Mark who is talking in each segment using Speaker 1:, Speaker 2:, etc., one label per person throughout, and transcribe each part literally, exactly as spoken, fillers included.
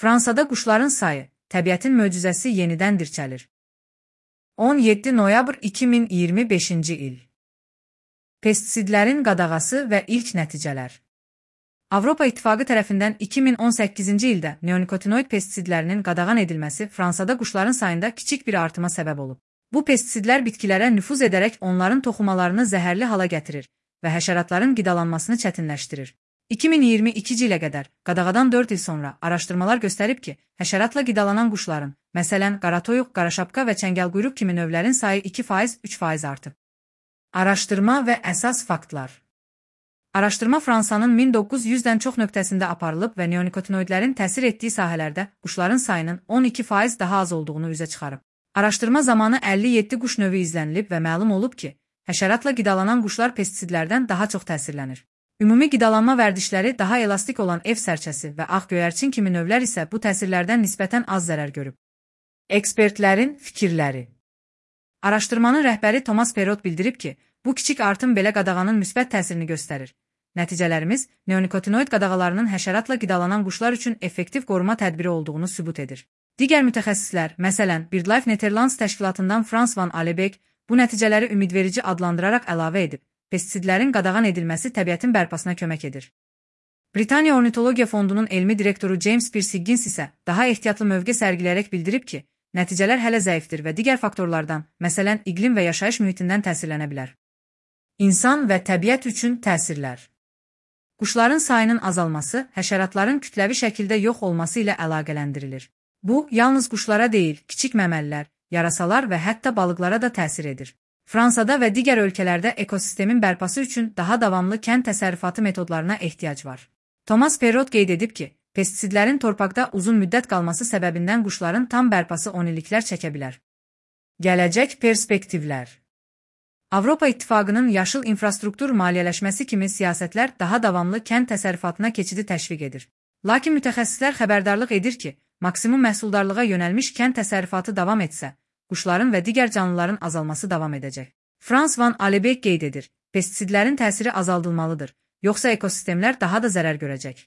Speaker 1: Fransada quşların sayı, təbiətin möcüzəsi yenidən dirçəlir. on yeddi noyabr iki min iyirmi beşinci il. Pestisidlərin qadağası və ilk nəticələr. Avropa İttifaqı tərəfindən iki min on səkkizinci ildə neonikotinoid pestisidlərinin qadağan edilməsi Fransada quşların sayında kiçik bir artıma səbəb olub. Bu pestisidlər bitkilərə nüfuz edərək onların toxumalarını zəhərli hala gətirir və həşəratların qidalanmasını çətinləşdirir. iki min iyirmi ikinci ilə qədər, qadağadan dörd il sonra araşdırmalar göstərib ki, həşəratla qidalanan quşların, məsələn, qaratoyuq, qaraşapqa və çəngəlquyruq kimi növlərin sayı iki faiz üç faiz artıb. Araşdırma və əsas faktlar. Araşdırma Fransanın min doqquz yüzdən çox nöqtəsində aparılıb və neonikotinoidlərin təsir etdiyi sahələrdə quşların sayının on iki faiz daha az olduğunu üzə çıxarıb. Araşdırma zamanı əlli yeddi quş növü izlənilib və məlum olub ki, həşəratla qidalanan quşlar pestisidlərdən daha çox təsirlənir. Ümumi qidalanma vərdişləri daha elastik olan ev sərçəsi və ağ göyərçin kimi növlər isə bu təsirlərdən nisbətən az zərər görüb. Ekspertlərin fikirləri. Araşdırmanın rəhbəri Thomas Perrot bildirib ki, bu kiçik artım belə qadağanın müsbət təsirini göstərir. Nəticələrimiz neonikotinoid qadağalarının həşəratla qidalanan quşlar üçün effektiv qoruma tədbiri olduğunu sübut edir. Digər mütəxəssislər, məsələn, BirdLife Netherlands təşkilatından Frans van Alebeek bu nəticələri ümidverici adlandıraraq əlavə edib. Pestisidlərin qadağan edilməsi təbiətin bərpasına kömək edir. Britaniya Ornitologiya Fondunun elmi direktoru James Pierce Higgins isə daha ehtiyatlı mövqe sərgiləyərək bildirib ki, nəticələr hələ zəifdir və digər faktorlardan, məsələn, iqlim və yaşayış mühitindən təsirlənə bilər. İnsan və təbiət üçün təsirlər. Quşların sayının azalması həşəratların kütləvi şəkildə yox olması ilə əlaqələndirilir. Bu, yalnız quşlara deyil, kiçik məməlilər, yarasalar və hətta balıqlara da təsir edir. Fransada və digər ölkələrdə ekosistemin bərpası üçün daha davamlı kənd təsərrüfatı metodlarına ehtiyac var. Thomas Perrot qeyd edib ki, pestisidlərin torpaqda uzun müddət qalması səbəbindən quşların tam bərpası on illiklər çəkə bilər. Gələcək perspektivlər. Avropa İttifaqının yaşıl infrastruktur maliyyələşməsi kimi siyasətlər daha davamlı kənd təsərrüfatına keçidi təşviq edir. Lakin mütəxəssislər xəbərdarlıq edir ki, maksimum məhsuldarlığa yönəlmiş kənd təsərrüfatı davam etsə, quşların və digər canlıların azalması davam edəcək. Frans van Alebeek qeyd edir, pestisidlərin təsiri azaldılmalıdır, yoxsa ekosistemlər daha da zərər görəcək.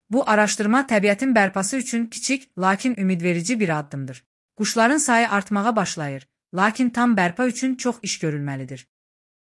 Speaker 1: Bu araşdırma təbiətin bərpası üçün kiçik, lakin ümidverici bir addımdır. Quşların sayı artmağa başlayır, lakin tam bərpa üçün çox iş görülməlidir.